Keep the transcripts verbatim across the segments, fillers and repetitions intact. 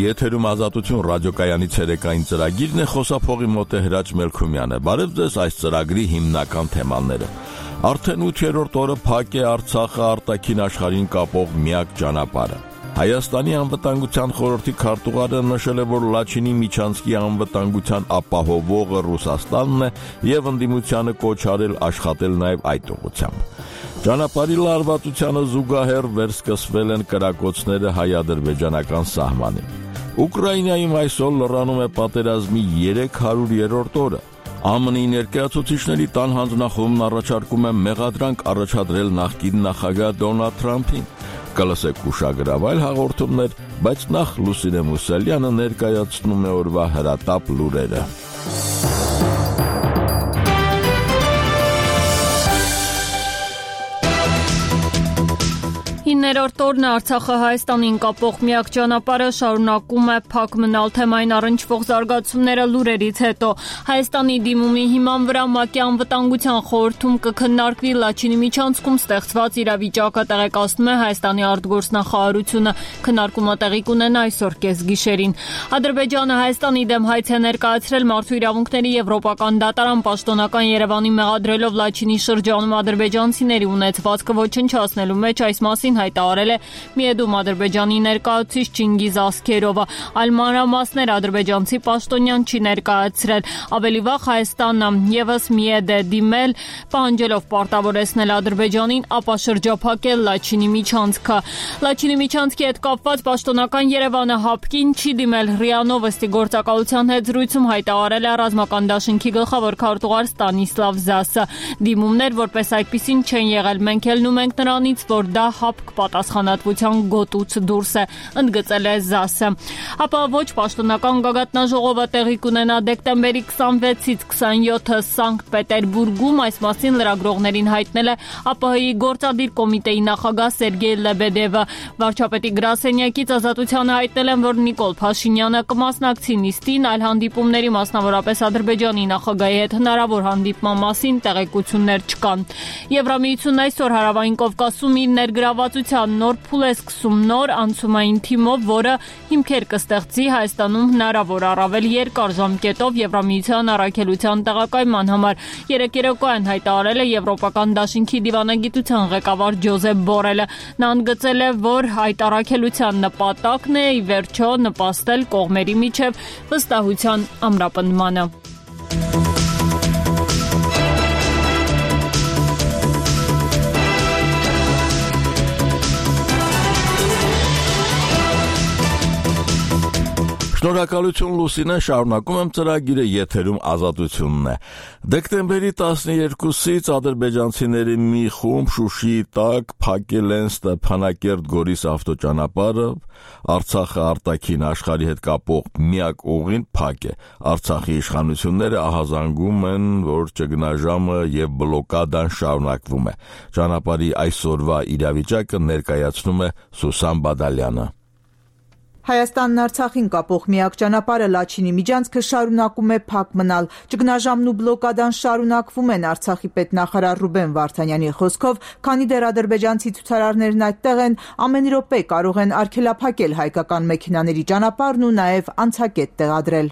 Եթերում Ազատություն ռադիոկայանի ցերեկային ծրագիրն է, խոսափողի մոտ է Հրաչ Մելքումյանը։ Բարև ձեզ, այս ծրագրի հիմնական թեմաները։ Արդեն ութերորդ օրը փակ է Արցախը արտաքին աշխարհին կապող միակ ճանապարհը։ Հայաստանի անվտանգության խորհրդի քարտուղարը նշել է, որ Լաչինի միջանցքի անվտանգության ապահովողը Ռուսաստանն է եւ ընդդիմությանը կոչ արել աշխատել նաեւ այդ ուղղությամբ։ Ճանապարհի լարվածությանը զուգահեռ վերսկսվել են կրակոցները հայ-ադրբեջանական սահմանին։ Ուկրաինայում այսօր լրանում է պատերազմի երեք հարյուրերորդ օրը։ Է Մ Ն-ի ներկայացուցիչների տան հանձնախումբն առաջարկում է մեղադրանք առաջադրել նախկին նախագահ Դոնալդ Թրամփին։ Կլսեք ուշագրավ այլ հաղորդումներ, բայց նախ Լուսինե Մուսալյանը ներկայացնում է օրվա հրատապ լուրերը։ Հինգերորդ օրն Արցախը Հայաստանին կապող միակ ճանապարհը շարունակում է փակ մնալ թեմային առնչվող զարգացումները լուրերից հետո։ Հայաստանի դիմումի հիման վրա ՄԱԿ-ի անվտանգության խորհրդում կքննարկվի Լաչինի միջանցքում ստեղծված իրավիճակը, տեղեկացնում է Հայաստանի արտգործնախարարությունը։ Քննարկումը տեղի կունենա այսօր կեսգիշերին։ Ադրբեջանը Հայաստանի դեմ հայց է ներկայացրել Մարդու իրավունքների եվրոպական դատարան պաշտոնական Երևանի մեղադրելով Լաչինի շրջանում ադրբեջանցիների ունեցվածքը ոչնչացնելու մեջ, այս մասին հայտարարել է Միեդում Ադրբեջանի ներկայացուցիչ Չինգիզ Ասքերովը, այլ մանրամասներ ադրբեջանցի պաշտոնյան չի ներկայացրել։ Ավելի վաղ Հայաստանը ևս Միեդ է դիմել, պահանջելով պարտավորեցնել Ադրբեջանին, ապա շրջափակել Լաչինի միջանցքը։ Լաչինի միջանցքի հետ կապված պաշտոնական Երևանը ՀԱՊԿ-ին չի դիմել։ ՌԻԱ Նովոստի գործակալության հետ զրույցում հայտարարել է Ռազմական դաշինքի գլխավոր քարտուղար Ստանիսլավ Զասը։ Դիմումներ որպես այդպիսին չեն եղել, մենք ելնում ենք նրանից, որ դա ՀԱՊԿ պատասխանատվության գոտուց դուրս է, ընդգծել է Զասը։ Ապա ոչ պաշտոնական գագաթնաժողովը տեղի կունենա դեկտեմբերի քսանվեցից քսանյոթը Սանկտ Պետերբուրգում, այս մասին լրագրողներին հայտնել է ԱՊՀ-ի գործադիր կոմիտեի նախագահ Սերգեյ Լեբեդևը։ Վարչապետի գրասենյակից Ազատությանը հայտնել են, որ Նիկոլ Փաշինյանը կմասնակցի նիստին, այլ հանդիպումների, մասնավորապես Ադրբեջանի նախագահի հետ հնարավոր հանդիպման մասին տեղեկություններ չկան։ Եվրամիությունն այսօր Հարավային Կովկասում իր ներգրավվածության նոր փուլ է սկսում նոր անցումային թիմով, որը հիմքեր կստեղծի Հայաստանում հնարավոր առավել երկար ժամկետով Եվրամիության առաքելության տեղակայման համար։ Երեկ երեկոյան հայտարարել է Եվրոպական դաշինքի դիվանագիտության ղեկավար Ջոզեփ Բորելը։ Նա ընդգծել է, որ այդ առաքելության նպատակն է ի վերջո նպաստել կողմերի միջև վստահության ամրապնդմանը։ Շնորհակալություն Լուսինե, շարունակում եմ ծրագիրը, եթերում Ազատությունն է։ Դեկտեմբերի տասներկուսից ադրբեջանցիների մի խումբ Շուշիի տակ փակել են Ստեփանակերտ-Գորիս ավտոճանապարհը, Արցախը արտաքին աշխարհի հետ կապող միակ ուղին փակ է։ Արցախի իշխանությունները ահազանգում են, որ ճգնաժամը եւ բլոկադան շարունակվում է։ Ճանապարհի այսօրվա իրավիճակը ներկայացնում է Սուսան Բադալյանը։ Հայաստանն Արցախին կապող միակ ճանապարհը Լաչինի միջանցքը շարունակում է փակ մնալ։ Ճգնաժամն ու բլոկադան շարունակվում են Արցախի պետնախարար Ռուբեն Վարդանյանի խոսքով, քանի դեռ ադրբեջանցի ցուցարարներն այդտեղ են, ամեն րոպե կարող են արգելափակել հայկական մեքենաների ճանապարհն ու նաև անցակետ տեղադրել։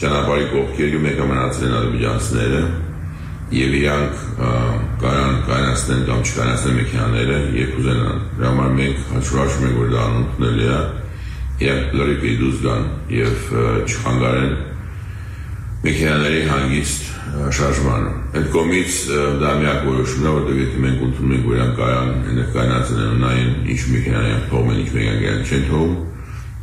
Ճանապարհի կողքերում եկա մնացել ադրբեջանցիները եւ իրանք կարան կանացնեն կամ չկանացնեն մեքենաները, երբ ուզենան։ Դրա համար մենք հաշվարկում ենք, որ դա անընդունելի է։ Եվ լրիվ դուրս գան եւ չխանգարեն մեքենաների հանգիստ շարժմանը։ Այդ կողմից դա միակ որոշումն է, որտեղ եթե մենք ընդունում ենք, որ իրանք կարան ներկայանացնել նայեն ինչ մեքենաներ թողեն, ինչ մեքենաներ չեն թողում,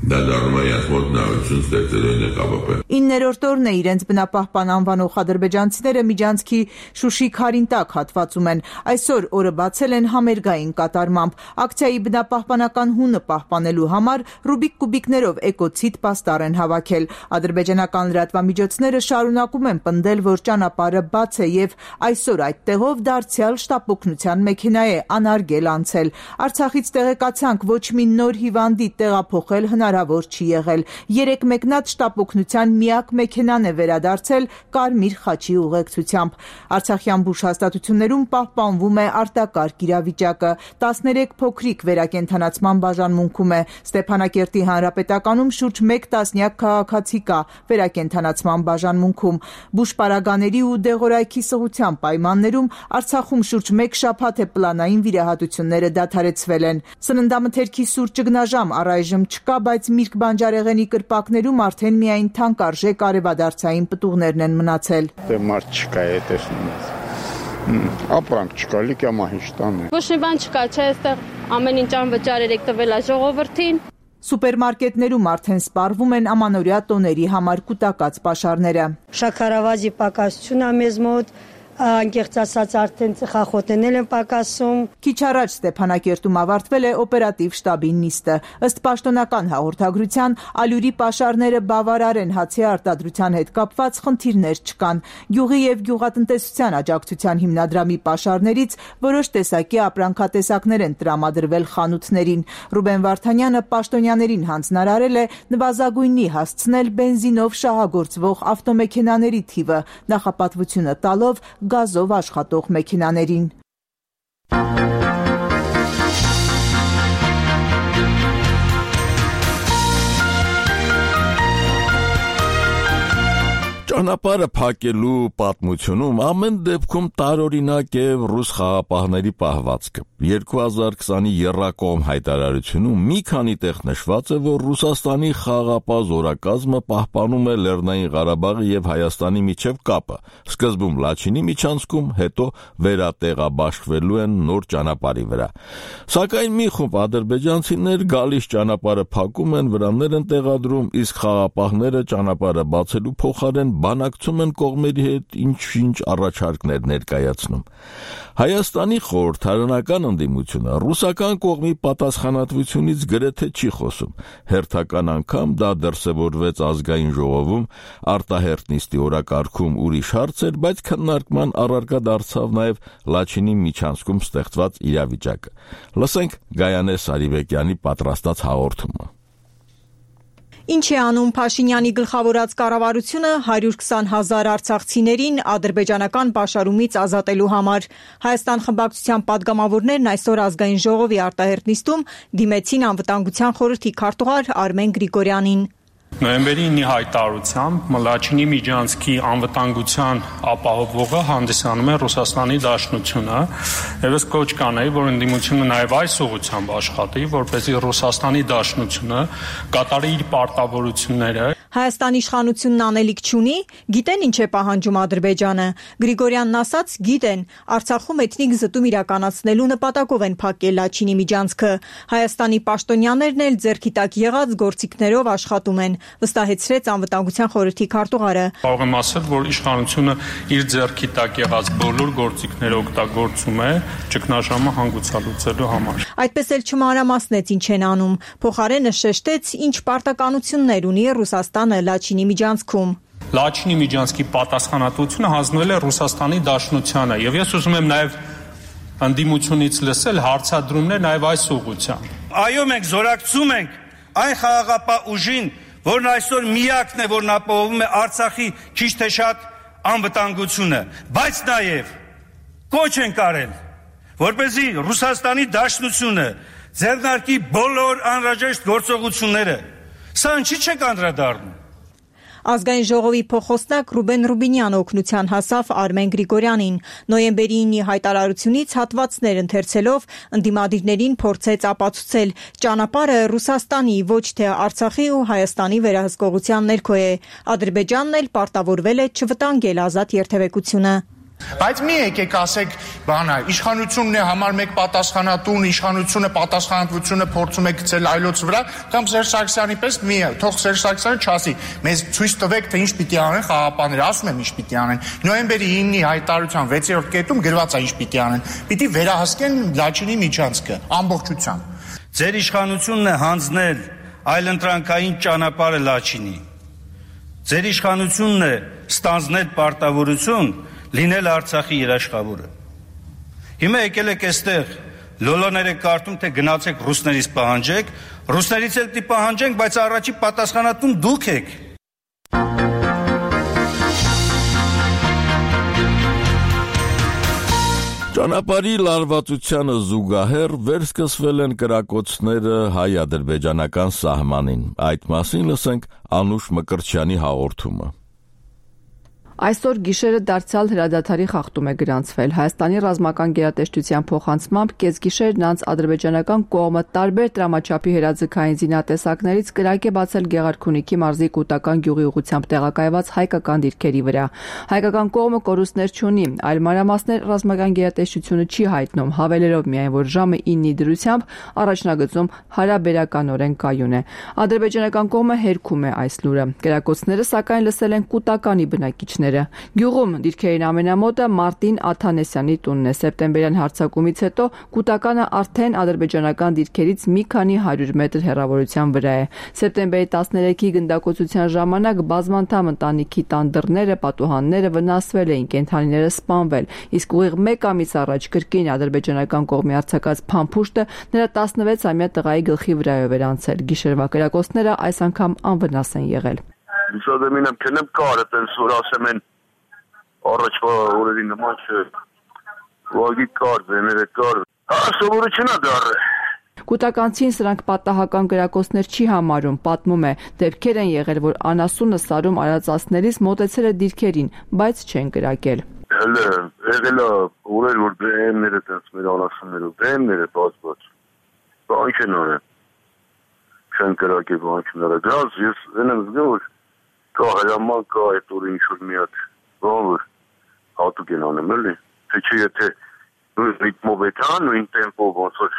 դա դառնում է իրենց մոտ նորություն ստեղծելու ՆԿԲՊ։ Իններորդ օրն է իրենց բնապահպան անվանող ադրբեջանցիները միջանցքի Շուշի Քարինտակ հատվածում են։ Այսօր օրը բացել են համերգային կատարմամբ։ Ակցիայի բնապահպանական հունը պահպանելու համար ռուբիկ կուբիկներով էկոցիդ պաստառ են հավաքել։ Ադրբեջանական լրատվամիջոցները շարունակում են պնդել, որ ճանապարհը բաց է եւ այսօր այդ տեղով դարձյալ շտապօգնության մեքենա է անարգել անցել։ Արցախից տեղեկացանք, ոչ մի նոր հիվանդի տեղափոխել հնարավոր հնարավոր չի եղել։ Երեք մեկնած շտապօգնության միակ մեքենան է վերադարձել Կարմիր խաչի ուղեկցությամբ։ Արցախյան բուժհաստատություններում պահպանվում է արտակարգ իրավիճակը։ տասներեք փոքրիկ վերակենդանացման բաժանմունքում է։ Ստեփանակերտի հանրապետականում շուրջ մեկ տասնյակ քաղաքացի կա վերակենդանացման բաժանմունքում։ Բուժպարագաների ու դեղորայքի սղության պայմաններում Արցախում շուրջ մեկ շաբաթ է պլանային վիրահատությունները դադարեցվել են։ Սննդամթերքի սուր ճգնաժամ առայժմ չկա, բայց Միրգ բանջարեղենի կրպակներում արդեն միայն թանկարժեք արևադարձային պտուղներն են մնացել։ Դե մարդ չկա է տեսնում։ Ապրանք չկա, լիքամա ինչ տանը։ Ոչ մի բան չկա, չէ, այստեղ ամեն ինչ անվճար եք տվել է ժողովրդին։ Սուպերմարկետներում արդեն սպառվում են ամանորյա տոների համար կուտակած պաշարները։ Շաքարավազի պակասություն է մեզ մոտ, անկեղծ ասած արդեն ծխախոտներն են պակասում։ Քիչ առաջ Ստեփանակերտում ավարտվել է օպերատիվ շտաբի նիստը։ Ըստ պաշտոնական հաղորդագրության, ալյուրի պաշարները բավարար են, հացի արտադրության հետ կապված խնդիրներ չկան։ Գյուղի եւ գյուղատնտեսության աջակցության հիմնադրամի պաշարներից որոշ տեսակի ապրանքատեսակներ են տրամադրվել խանութներին։ Ռուբեն Վարդանյանը պաշտոնյաներին հանձնարարել է նվազագույնի հասցնել բենզինով շահագործվող ավտոմեքենաների թիվը, նախապատվությունը տալով գազով աշխատող մեքենաներին։ Ճանապարհը փակելու պատմությունում ամեն դեպքում տարօրինակ է ռուս խաղապահների պահվածքը։ երկու հազար քսանի եռակողմ հայտարարությունում մի քանի տեղ նշված է, որ Ռուսաստանի խաղապահ զորակազմը պահպանում է Լեռնային Ղարաբաղի եւ Հայաստանի միջև կապը, սկզբում Լաչինի միջանցքում, հետո վերատեղաբաշխվելու են նոր ճանապարհի վրա։ Սակայն մի խումբ ադրբեջանցիներ գալիս ճանապարհը փակում են, վրաններ են տեղադրում, իսկ խաղապահները ճանապարհը բացելու փոխարեն բանակցում են կողմերի հետ, ինչ-ինչ առաջարկներ ներկայացնում։ Հայաստանի խորհրդարանական ընդդիմությունը ռուսական կողմի պատասխանատվությունից գրեթե չի խոսում։ Հերթական անգամ դա դրսևորվեց ազգային ժողովում, արտահերթ նիստի օրակարգում ուրիշ հարց էր, բայց քննարկման առարկա դարձավ նաև Լաչինի միջանցքում ստեղծված իրավիճակը։ Լսենք Գայանե Սարիբեկյանի պատրաստած հաղորդումը։ Ինչ է անում Փաշինյանի գլխավորած կառավարությունը հարյուր քսան հազար արցախցիներին ադրբեջանական պաշարումից ազատելու համար։ Հայաստան խմբակցության падգամավորներն այսօր ազգային ժողովի արտահերթ նիստում դիմեցին անվտանգության խորհրդի քարտուղար Արմեն Գրիգորյանին։ Նոյեմբերի ինի հայտարարությամբ Լաչինի միջանցքի անվտանգության ապահովողը հանդիսանում է Ռուսաստանի Դաշնությունը, եւ ես կոչ կանեի, որ ընդդիմությունը նաեւ այս ուղղությամբ աշխատի, որպեսզի Ռուսաստանի Դաշնությունը կատարի իր պարտավորությունները։ Հայաստանի իշխանությունն անելիք չունի, գիտեն ինչ է պահանջում Ադրբեջանը։ Գրիգորյանն ասաց, գիտեն, Արցախում էթնիկ զտում իրականացնելու նպատակով են փակել Լաչինի միջանցքը։ Հայաստանի պաշտոնյաներն էլ ձեռքի տակ եղած գործիքներով աշխատում են, վստահեցրեց անվտանգության խորհրդի քարտուղարը։ Կարող եմ ասել, որ իշխանությունը իր ձեռքի տակ եղած բոլոր գործիքները օգտագործում է ճգնաժամը հանգուցալուծելու համար։ Այդպես էլ չմանրամասնեց ինչ են անում, փոխարենը շեշտեց, ինչ պարտականություններ ունի Ռուսաստանը Լաչինի միջանցքում։ Լաչինի միջանցքի պատասխանատվությունը հանձնվել է Ռուսաստանի Դաշնությանը, եւ ես ուզում եմ նաեւ ընդդիմությունից լսել հարցադրումներ նաեւ այս ուղղությամբ։ Այո, մենք զորակցում ենք այն խաղաղապահ ուժին, որն այսօր միակն է, որն ապահովում է Արցախի քիչ թե շատ անվտանգությունը, բայց նաեւ կոչ են կարել, որպեսզի Ռուսաստանի Դաշնությունը ձեռնարկի բոլոր անհրաժեշտ գործողությունները։ Սա ինչի՞ չեք անդրադառնում։ Ազգային ժողովի փոխոստնակ Ռուբեն Ռուբինյանը օգնության հասավ Արմեն Գրիգորյանին։ Նոյեմբերի ինի հայտարարությունից հատվածներ ընթերցելով ընդդիմադիրներին փորձեց ապացուցել, ճանապարհը Ռուսաստանի, ոչ թե Արցախի ու Հայաստանի վերահսկողության ներքո է։ Ադրբեջանն էլ պարտավորվել է չվտանգել ազատ երթևեկությունը։ Բայց մի եկեք ասեք, բանա, իշխանությունն է համար մեկ պատասխանատուն, իշխանությունը պատասխանատվությունը փորձում է գցել այլոց վրա, կամ Սերժ Սարգսյանի պես մի թող Սերժ Սարգսյանը չասի, մեզ ցույց տվեք, թե ինչ պիտի անեն խաղապահները, ասում եմ ինչ պիտի անեն։ Նոյեմբերի ինի հայտարարության վեցերորդ կետում գրված է ինչ պիտի անեն։ Պիտի վերահսկեն Լաչինի միջանցքը ամբողջությամբ։ Ձեր իշխանությունն է հանձնել այլընտրանքային ճանապարհը Լաչինի։ Ձեր իշխանությունն է ստանձնել պարտավորություն լինել Արցախի երաշխավորը։ Հիմա եկել եք այստեղ լոլոներ եք կարդում, թե գնացեք ռուսներից պահանջեք, ռուսներից էլ պիտի պահանջենք, բայց առաջի պատասխանատուն դուք եք։ Ճանապարհի լարվածությանը զուգահեռ վերսկսվել են կրակոցները հայ-ադրբեջանական սահմանին։ Այդ մասին լսենք Անուշ Մկրտչյանի հաղորդումը։ Այսօր գիշերը դարձյալ հրադադարի խախտում է գրանցվել։ Հայաստանի ռազմական գերատեսչության փոխանցմամբ կեսգիշերն անց ադրբեջանական կողմը տարբեր տրամաչափի հրաձգային զինատեսակներից կրակ է բացել Գեղարքունիքի մարզի Կուտական գյուղի ուղղությամբ տեղակայված հայկական դիրքերի վրա։ Հայկական կողմը կորուստներ չունի, այլ մանրամասներ ռազմական գերատեսչությունը չի հայտնում, հավելելով միայն, որ ժամը իննի դրությամբ առաջնագծում հարաբերականորեն կայուն է։ Ադրբեջանական կողմը հերքում է այս լուրը։ Կրակոցները սակայն լսել են Կուտականի բնակիչները։ Գյուղում դիրքերին ամենամոտը Մարտին Աթանեսյանի տունն է։ Սեպտեմբերյան հարձակումից հետո Կուտականը արդեն ադրբեջանական դիրքերից մի քանի հարյուր մետր հեռավորության վրա է։ Սեպտեմբերի տասներեքի գնդակոծության ժամանակ բազմանդամ ընտանիքի տան դռները, պատուհանները վնասվել էին, կենդանիները սպանվել, իսկ ուղիղ մեկ ամիս առաջ կրկին ադրբեջանական կողմի արձակած փամփուշտը նրա տասնվեցամյա տղայի գլխի վրայով էր անցել։ Գիշերվա կրակոցները այս անգամ անվնաս են եղել։ Ուսադեմին եմ կնեմ կարը տենց որ ասեմ են առաջվա օրերի նման չէ, վագի կար, ձեները կար, սովորություն է դարը։ Կուտականցին սրանք պատահական կրակոցներ չի համարում, պատմում է, դեպքեր են եղել, որ անասունը սարում արածածներից մոտեցել է դիրքերին, բայց չեն կրակել։ Հələ, եղել է օրեր, որ բեմները տենց մեր անասուններով, բեմները բաց-բաց, բան չեն արել, չեն կրակել, բան չեն արել, դրանց ես են եմ զգում, որ կա հրաման, կա այդ օրը ինչ-որ մի հատ, բան որ հատուկ են անեմ, էլի, թե չէ եթե նույն ռիթմով է տան, նույն տեմպով ոնց որ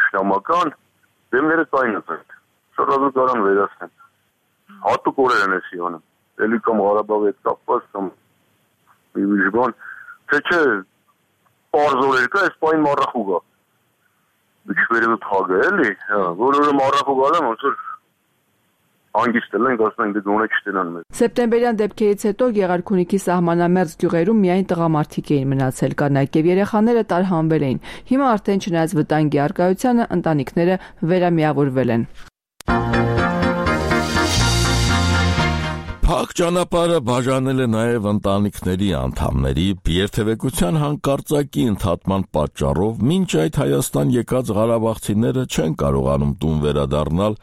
շնամական, դեմները կայնած են, շարազու կարան վերացնեն, հատուկ օրեր են էսի անում, էլի կամ Ղարաբաղի հետ կապված, կամ մի ուրիշ բան, թե չէ պարզ օրեր կա, այս պայն մառախուգ է, բիչվերևը թագը, էլի, որ օրը մառախուգ ալեմ, ոնց որ անգիստել ենք, ասում ենք դե չտենան մեզ։ Սեպտեմբերյան դեպքերից հետո Գեղարքունիքի սահմանամերձ գյուղերում միայն տղամարդիկ էին մնացել, կանայք եւ երեխաները տարհանվել էին։ Հիմա արդեն չնայած վտանգի առկայությանը ընտանիքները վերամիավորվել են։ Փակ ճանապարհը բաժանել է նաև ընտանիքների անդամների երթևեկության հանկարծակի ընդհատման պատճառով մինչ այդ Հայաստան եկած ղարաբաղցիները չեն կարողանում տուն վերադառնալ,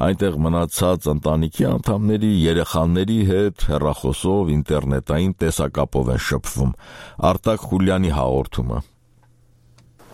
այնտեղ մնացած ընտանիքի անդամների երեխաների հետ հեռախոսով, ինտերնետային տեսակապով են շփվում։ Արտակ Խուլյանի հաղորդումը։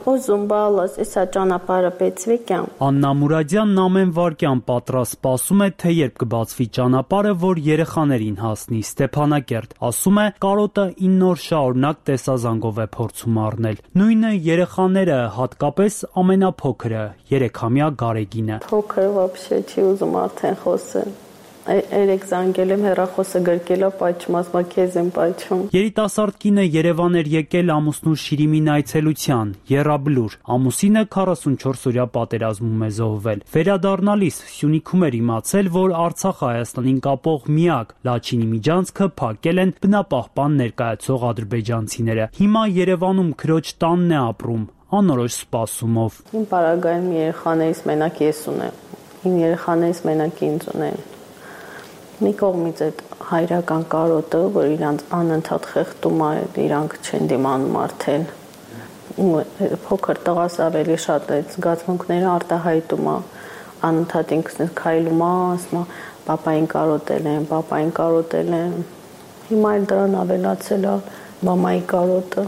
Ուզում բալաս, էսա ճանապարհը բեցվեկյան։ Աննա Մուրադյանն ամեն վարքյան պատրաստ սպասում է, թե երբ կբացվի ճանապարհը, որ երեխաներին հասնի։ Ստեփանակերտ ասում է, կարոտը ինը օր շարունակ տեսազանգով է փորձում առնել։ Նույնը երեխաները, հատկապես ամենափոքրը, երեքամյա Գարեգինը։ Փոքր вообще չի ուզում արդեն խոսել։ Երեք զանգել եմ հեռախոսը գրկել է պայթում, ասում է քեզ եմ պայթում։ Երիտասարդ կինը Երևան էր եկել ամուսնու Շիրիմին այցելության, եռաբլուր։ Ամուսինը քառասունչորս օրյա պատերազմում է զոհվել։ Վերադառնալիս Սյունիքում էր իմացել, որ Արցախը Հայաստանին կապող միակ Լաչինի միջանցքը փակել են բնապահպան ներկայացող ադրբեջանցիները։ Հիմա Երևանում քրոջ տանն է ապրում, անորոշ սպասումով։ Իմ պարագայում երեխաներից մենակ ես ունեմ։ Իմ երեխաներից մենակ ինձ ունեն։ Մի կողմից այդ հայրական կարոտը, որ իրանց անընդհատ խեղդում է, իրանք չեն դիմանում արդեն։ Փոքր տղաս ավելի շատ այդ զգացմունքները արտահայտում է, անընդհատ ինքս քայլում է, ասում է, պապային կարոտել են, պապային կարոտել են։ Հիմա էլ դրան ավելացել է մամայի կարոտը։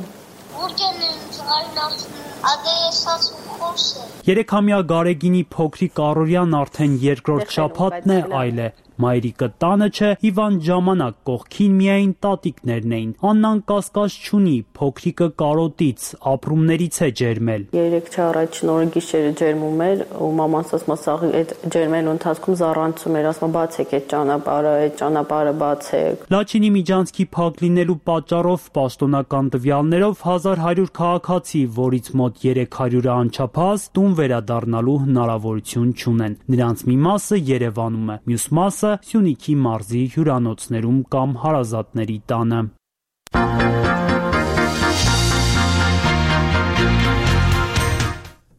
Երեքամյա Գարեգինի փոքրիկ Արորյան արդեն երկրորդ շաբաթն է այլ է։ Մայրիկը տանը չէ, հիվանդ ժամանակ կողքին միայն տատիկներն էին։ Աննան կասկած չունի, փոքրիկը կարոտից, ապրումներից է ջերմել։ Երեք չառաջին օրը գիշերը ջերմում էր, ու մամանց ասում է, սաղ այդ ջերմելու ընթացքում զառանցում էր, ասում է, բացեք այդ ճանապարհը, այդ ճանապարհը բացեք։ Լաչինի միջանցքի փակ լինելու պատճառով պաշտոնական տվյալներով հազար հարյուր քաղաքացի, որից մոտ երեք հարյուրը անչափահաս, տուն վերադառնալու հնարավորություն չունեն։ Նրանց մի մասը Երևանում է, մյուս մասը Սյունիքի մարզի հյուրանոցներում կամ հարազատների տանը։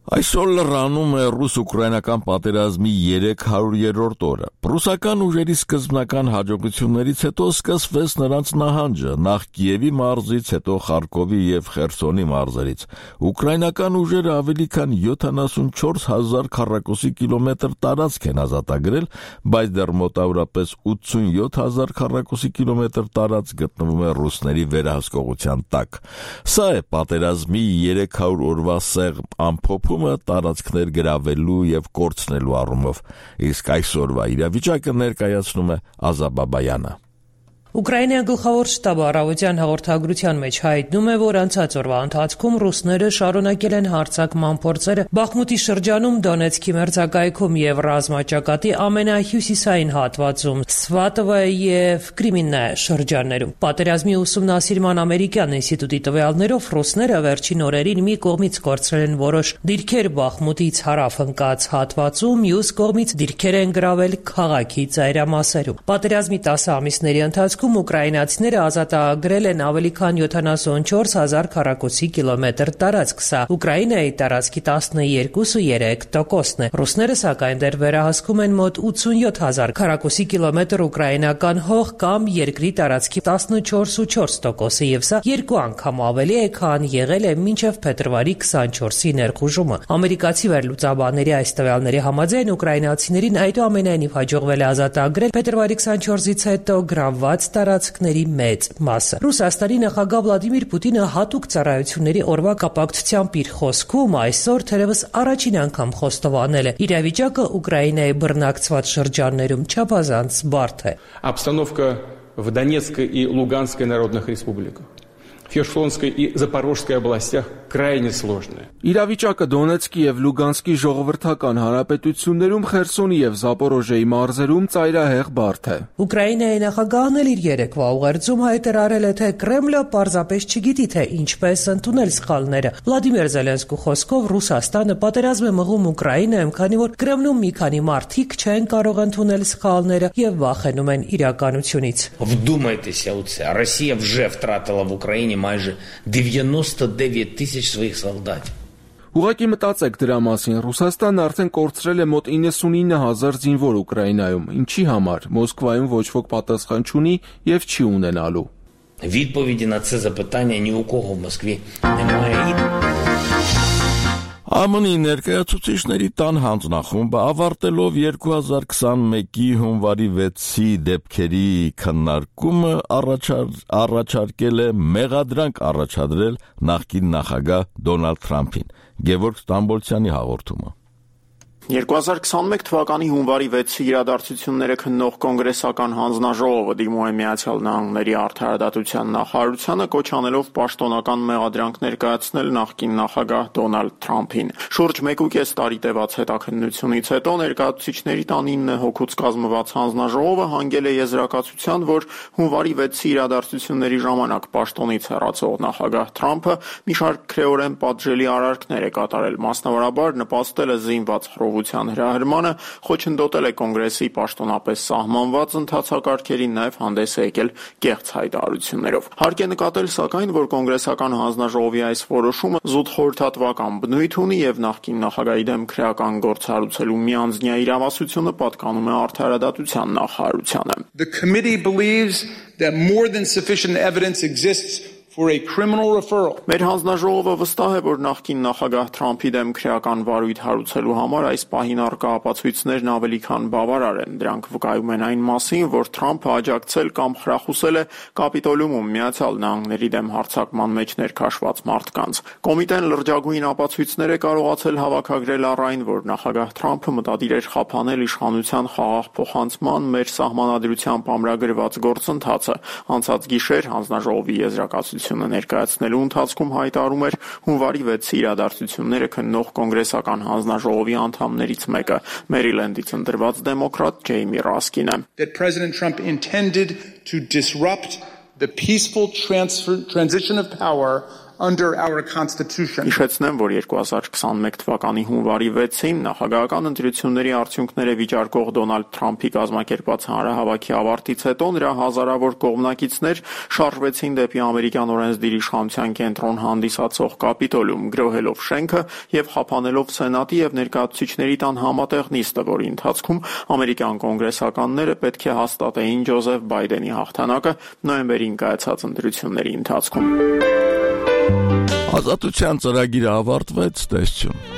Այսօր լրանում է ռուս-ուկրաինական պատերազմի երեք հարյուրերորդ օրը։ Ռուսական ուժերի սկզբնական հաջողություններից հետո սկսվեց նրանց նահանջը, նախ Կիևի մարզից, հետո Խարկովի և Խերսոնի մարզերից։ Ուկրաինական ուժերը ավելի քան յոթանասունչորս հազար քառակուսի կիլոմետր տարածք են ազատագրել, բայց դեռ մոտավորապես ութսունյոթ հազար քառակուսի կիլոմետր տարածք գտնվում է ռուսների վերահսկողության տակ։ Սա է պատերազմի երեք հարյուր օրվա սեղմ ամփոփումը տարածքներ գրավելու և կորցնելու առումով, իսկ այսօրվա իրավիճակը ներկայացնում է Ազա Բաբայանը։ Ուկրաինայի գլխավոր շտաբը առավոտյան հաղորդագրության մեջ հայտնում է, որ անցած օրվա ընթացքում ռուսները շարունակել են հարձակման փորձերը Բախմուտի շրջանում, Դոնեցկի մերձակայքում և ռազմաճակատի ամենահյուսիսային հատվածում, Սվատովա և Կրիմիննա շրջաններում։ Պատերազմի ուսումնասիրման ամերիկյան ինստիտուտի տվյալներով ռուսները վերջին օրերին մի կողմից կորցրել են որոշ դիրքեր Բախմուտից հարավ ընկած հատվածում, մյուս կողմից դիրքեր են գրավել քաղաքի ծայրամասերում։ Պատերազմի տասը ամիսների ընթացքում ուկրաինացիները ազատագրել են ավելի քան յոթանասունչորս հազար քառակուսի կիլոմետր տարածք, սա Ուկրաինայի տարածքի տասնյոթ տոկոսն է։ Ռուսները սակայն դեռ վերահսկում են մոտ ութսունյոթ հազար քառակուսի կիլոմետր ուկրաինական հող կամ երկրի տարածքի տասնչորս տոկոսը, եւ սա երկու անգամ ավելի է, քան եղել է մինչև փետրվարի քսանչորսի ներխուժումը։ Ամերիկացի վերլուծաբանների այս տվյալների համաձայն ուկրաինացիներին այդուամենայնիվ հաջողվել է ազատագրել փետրվարի քսանչորսից հետո գրավված տարածքների մեծ մասը։ Ռուսաստանի նախագահ Վլադիմիր Պուտինը հատուկ ծառայությունների օրվա կապակցությամբ իր խոսքում այսօր թերևս առաջին անգամ խոստովանել է. իրավիճակը Ուկրաինայի բռնակցված շրջաններում չափազանց բարդ է։ Обстановка в Донецкой и Луганской народных республиках, в Херсонской и Запорожской областях крайне сложная. Իրավիճակը Դոնեցկի և Լուգանսկի ժողովրդական հանրապետություններում, Խերսոնի և Զապորոժեի մարզերում ծայրահեղ բարդ է։ Ուկրաինայի նախագահն էլ իր երեկվա ուղերձում հայտարարել է, թե Կրեմլը պարզապես չգիտի, թե ինչպես ընդունել սխալները։ Վլադիմիր Զելենսկու խոսքով Ռուսաստանը պատերազմ է մղում Ուկրաինայում, քանի որ Կրեմլում մի քանի մարդիկ չեն կարող ընդունել սխալները և վախենում են իրականությունից։ Вдумайтеся у це. Росія вже втратила в Україні майже дев'яносто дев'ять тисяч своїх солдатів. Ուղղակի մտածեք դրա մասին, Ռուսաստանն արդեն կորցրել է մոտ իննսունինը հազար զինվոր Ուկրաինայում, ինչի համար, Մոսկվայում ոչ ոք պատասխան չունի և չի ունենալու։ Відповіді на це запитання ні у кого в Москві немає. ԱՄՆ-ի ներկայացուցիչների տան հանձնախումբը ավարտելով երկու հազար քսանմեկի հունվարի վեցի դեպքերի քննարկումը առաջարկել է մեղադրանք առաջադրել նախկին նախագահ Դոնալդ Թրամփին։ Գևորգ Ստամբոլցյանի հաղորդումը։ երկու հազար քսանմեկ թվականի հունվարի վեցի իրադարձությունները քննող կոնգրեսական հանձնաժողովը դիմում է Միացյալ Նահանգների արդարադատության նախարարությանը կոչ անելով պաշտոնական մեղադրանք ներկայացնել նախկին նախագահ Դոնալդ Թրամփին։ Շուրջ մեկուկես տարի տևած հետաքննությունից հետո ներկայացուցիչների տան ինը հոգուց կազմված հանձնաժողովը հանգել է եզրակացության, որ հունվարի վեցի իրադարձությունների ժամանակ պաշտոնից հեռացող նախագահ Թրամփը մի շարք քրեորեն պատժելի արարքներ է կատարել, մասնավորաբար նպաստել է զինված հրահրմանը, խոչընդոտել է կոնգրեսի պաշտոնապես սահմանված ընթացակարգերին, նաև հանդես է եկել կեղծ հայտարարություններով։ Հարկ է նկատել, սակայն, որ կոնգրեսական հանձնաժողովի այս որոշումը զուտ խորհրդատվական բնույթ ունի եւ նախկին նախագահի դեմ քրեական գործ հարուցելու միանձնյա իրավասությունը պատկանում է արդարադատության նախարարությանը։ The committee believes that more than sufficient evidence exists for a criminal referral. Մեր հանձնաժողովը վստահ է, որ նախկին նախագահ Թրամփի դեմ քրեական վարույթ հարուցելու համար այս պահին առկա ապացույցներն ավելի քան բավարար են։ Դրանք վկայում են այն մասին, որ Թրամփը աջակցել կամ խրախուսել է Կապիտոլիումում Միացյալ Նահանգների դեմ հարձակման մեջ ներքաշված մարդկանց։ Կոմիտեն լրջագույն ապացույցներ է կարողացել հավաքագրել առ այն, որ նախագահ Թրամփը մտադիր էր խափանել իշխանության խաղաղ փոխանցման մեր սահմանադրությամբ ամրագրված գործընթացը։ Անցած գիշեր հանձնաժողովի եզրակացությունը ներկայացնելու ընթացքում հայտարարում էր հունվարի վեցի իրադարձությունները քննող կոնգրեսական հանձնաժողովի անդամներից մեկը, Մերիլենդից ընտրված դեմոկրատ Ջեյմի Ռասկինը։ That President Trump intended to disrupt the peaceful transfer, transition of power under our Constitution. Հիշեցնեմ, որ երկու հազար քսաներկու թվականի հունվարի վեցին նախագահական ընտրությունների արդյունքները վիճարկող Դոնալդ Թրամփի կազմակերպած հանրահավաքի ավարտից հետո նրա հազարավոր կողմնակիցներ շարժվեցին դեպի ամերիկյան օրենսդիր իշխանության կենտրոն հանդիսացող Կապիտոլիում, գրոհելով շենքը եւ խափանելով Սենատի եւ ներկայացուցիչների տան համատեղ նիստը, որի ընթացքում ամերիկյան կոնգրեսականները պետք է հաստատեին Ջոզեֆ Բայդենի հաղթանակը նոյեմբերին կայացած ընտրությունների ընթացքում։ Ազատության ծրագիրը ավարտվեց, տեսչուն։